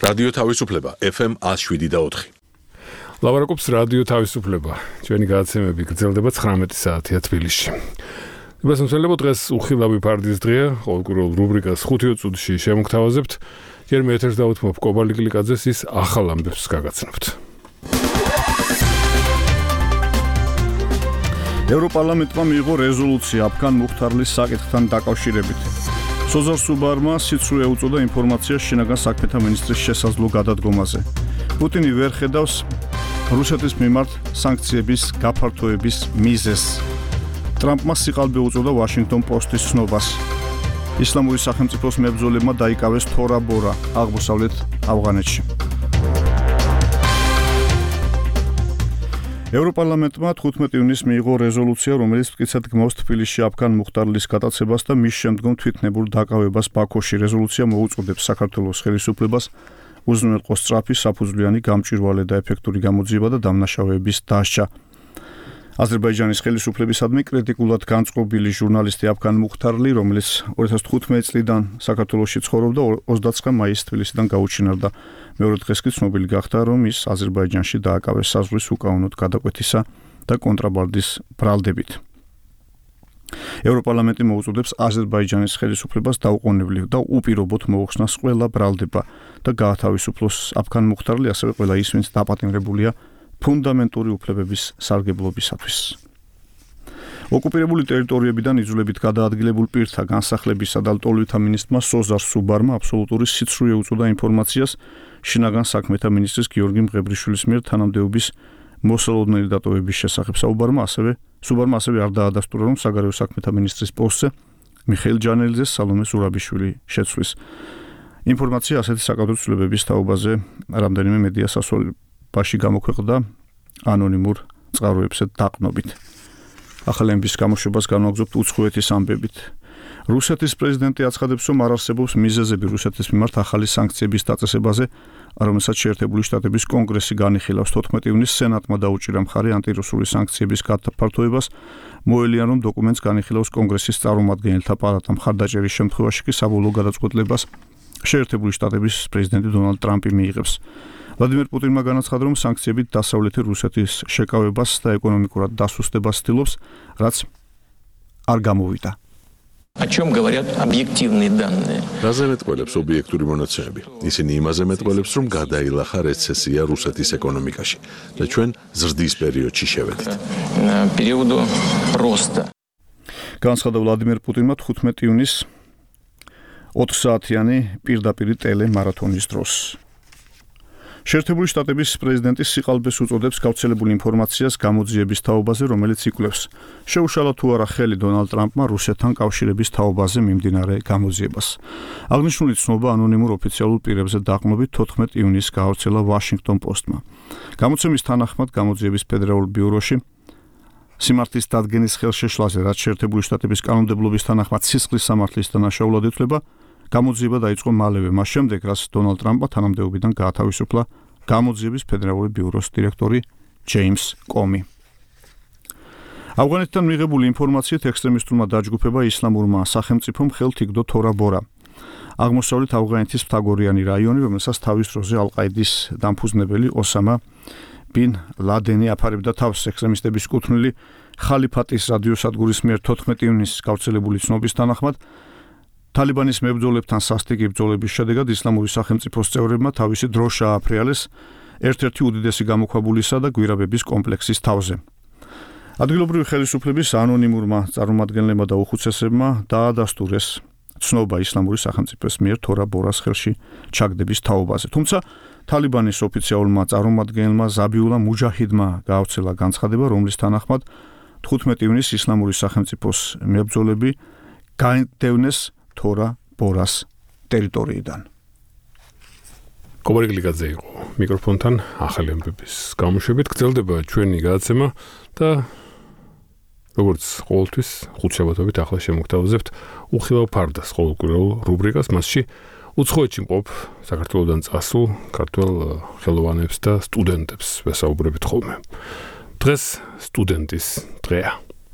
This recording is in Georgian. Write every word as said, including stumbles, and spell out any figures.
რადიო თავისუფლება ეფ ემ one oh seven და four. ლაპარაკობს რადიო თავისუფლება. ჩვენი გადაცემები გრძელდება ცხრამეტი საათია თბილისში. მოსამსწრებლო დღეს უხილავი ფარდის დღეა, ყოველკვირეულ რუბრიკას ხუთი წუთში შემოგთავაზებთ. ჯერ მე ეთერს დავუთმობ კობალი გლიკაძეს, ის ახალ ამბებს გაგაცნობთ. ევროპარლამენტმა მიიღო რეზოლუცია აფგან მუხთარლის საკითხთან დაკავშირებით. სოზარ სუბარმა სიცრუე უწოდა ინფორმაციას შინაგან საქმეთა მინისტრის შესაძლო გადადგომაზე. პუტინი ვერ ხედავს რუსეთის მიმართ სანქციების გაფართოების მიზეზს. ტრამპმა სიყალბე უწოდა ვაშინგტონ პოსტის ცნობას. ისლამური სახელმწიფოს მებრძოლებმა დაიკავეს თორა-ბორა აღმოსავლეთ ავღანეთში. ევროპარლამენტმა თხუთმეტი ივნისს მიიღო რეზოლუცია, რომელიც მტკიცედ გმავს თბილისში აფგან მუხტარლის გადაცებას და მის შემდგომ თვითნებურ დაკავებას ბაქოში. რეზოლუცია მოუწოდებს საქართველოს ხელისუფლებას უზრუნველყოს სწრაფი, საფუძვლიანი, გამჭვირვალე და ეფექტური გამოძიება და დამნაშავეების დასჯა. აზერბაიჯანის ხელისუფლებისადმი კრიტიკულად განწყობილი ჟურნალისტი აფგან მუხტარლი, რომელიც ორი ათას თხუთმეტი წლიდან საქართველოში ცხოვრობდა, ოცდაცხრა მაისს თბილისიდან გაუჩინარდა. მეორე დღეს კი ცნობილი გახდა, რომ ის აზერბაიჯანში დააკავეს საზღვრის უკანონოდ გადაკვეთისა და კონტრაბანდის ბრალდებით. ევროპარლამენტი მოუწოდებს აზერბაიჯანის ხელისუფლებას დაუყოვნებლივ და უპირობოდ მოუხსნას ყველა ბრალდება და გაათავისუფლოს აფგან მუხტარლი, ასევე ყველა ის, ვინც დაპატიმრებულია ფუნდამენტური უფლებების სარგებლობისათვის. ოკუპირებული ტერიტორიებიდან იძულებით გადაადგილებულ პირთა განსახლებისა და ლტოლვითა მინისტრმა სოზარ სუბარმა აბსოლუტური სიცრუე უწოდა ინფორმაციას შინაგან საქმეთა მინისტრის გიორგი მღებრიშვილის მიერ თანამდებობის მოსალოდნელი დატოვების შესახებ. საუბარმა ასევე სუბარმა ასევე არ დაადასტურა, რომ საგარეო საქმეთა მინისტრის პოსტზე მიხეილ ჯანელიძეს სალომე ზურაბიშვილი შეცვლის. ინფორმაცია ასეთი საკადრო ცვლილებების თაობაზე რამდენიმე მედია სასწავლებაში გამოქვეყნდა ანონიმურ წყაროებზე დაყნობით. ახალი ამბის გამოშვებას განვაგრძობთ უცხოეთის ამბებით. რუსეთის პრეზიდენტი აცხადებს, რომ არ არსებობს მიზეზები რუსეთის მიმართ ახალი სანქციების დაწესებაზე, რომელსაც შეერთებული შტატების კონგრესი განიხილავს. თოთხმეტი ივნისს სენატმა დაუჭირა მხარი ანტირუსული სანქციების გაფართოებას. მოელიან, რომ დოკუმენტს განიხილავს კონგრესის წარმომადგენელთა პალატა. მხარდაჭერის შემთხვევაში კი საბოლოო გადაწყვეტილებას შეერთებული შტატების პრეზიდენტი დონალდ ტრამპი მიიღებს. ვლადიმერ პუტინმა განაცხადა, რომ სანქციებით დასავლეთი რუსეთის შეკავებას და ეკონომიკურად დასუსტებას ცდილობს, რაც არ გამოვიდა. О чем говорят объективные данные? რაზე მეტყველებს ობიექტური მონაცემები? ისინი იმაზე მეტყველებს, რომ გადაილახა რეცესია რუსეთის ეკონომიკაში და ჩვენ ზრდის პერიოდში შევედით. Периоду роста. განაცხადა ვლადიმერ პუტინმა თხუთმეტი ივნისს ოთხ საათიანი პირდაპირ ტელემარათონის დროს. შეერთებული შტატების პრეზიდენტი სიყალბეს უწოდებს გავრცელებულ ინფორმაციას გამოძიების თაობაზე, რომელიც იკვლევს, შეუშალა თუ არა ხელი დონალდ ტრამპმა რუსეთთან კავშირების თაობაზე მიმდინარე გამოძიებას. აღნიშნული ცნობა ანონიმურ ოფიციალურ პირებზე დაყრდნობით თოთხმეტი ივნისს გაავრცელა ვაშინგტონ პოსტმა. გამოცემის თანახმად გამოძიების ფედერალურ ბიუროში სიმართლის დადგენის ხელშეშლაზე, რაც შეერთებული შტატების კანონმდებლობის თანახმად სისხლის სამართლის დანაშაულად ითვლება, გამოძიება დაიწყო მალევე, მას შემდეგ, რაც დონალდ ტრამპმა თანამდებობიდან გაათავისუფლა გამოძიების ფედერალური ბიუროს დირექტორი ჯეიმს კომი. ავღანეთიდან მიღებული ინფორმაციით ექსტრემისტულმა დაჯგუფება ისლამურმა სახელმწიფომ ხელთ იგდო თორა-ბორა. აღმოსავლეთ ავღანეთის მთაგორიანი რაიონი, რომელსაც თავის დროზე ალ-ყაიდის დამფუძნებელი ოსამა ბინ ლადენი აფარებდა თავს. ექსტრემისტების კუთვნილი ხალიფატის რადიოსადგურის მიერ თოთხმეტი ივნისს გავრცელებული ცნობის თანახმად თალიბანის მებრძოლებთან სასტიკი ბრძოლების შედეგად ისლამური სახელმწიფოს წევრებმა თავისი დრო შეაფრიალეს ერთ-ერთი უდიდესი გამოქვაბულისა და გვირაბების კომპლექსის თავზე. ადგილობრივი ხელისუფლების ანონიმურმა წარმომადგენლებმა და უხუცესებმა დაადასტურეს ცნობა ისლამური სახელმწიფოს მიერ თორა-ბორას ხელში ჩაგდების თაობაზე. თუმცა თალიბანის ოფიციალურმა წარმომადგენელმა ზაბიულა მუჯაჰიდმა გაავრცელა განცხადება, რომლის თანახმად თხუთმეტი ივნისს ისლამური სახელმწიფოს მებრძოლები გაიდევნეს თორა-ბორას ტერიტორიიდან. კობალი გლიკაძე იყო მიკროფონთან ახალი ამბების გამოშვებით. გრძელდება ჩვენი გადაცემა და როგორც ყოველთვის ხუთ შაბათობით ახლა შემოგთავაზებთ უხილავ ფარდას ყოველკვირეულ რუბრიკას. მასში უცხოეთში მყოფ საქართველოდან წასულ ქართველ ხელოვანებს და სტუდენტებს ვესაუბრებით ხოლმე. დღეს სტუდენტის დღეა.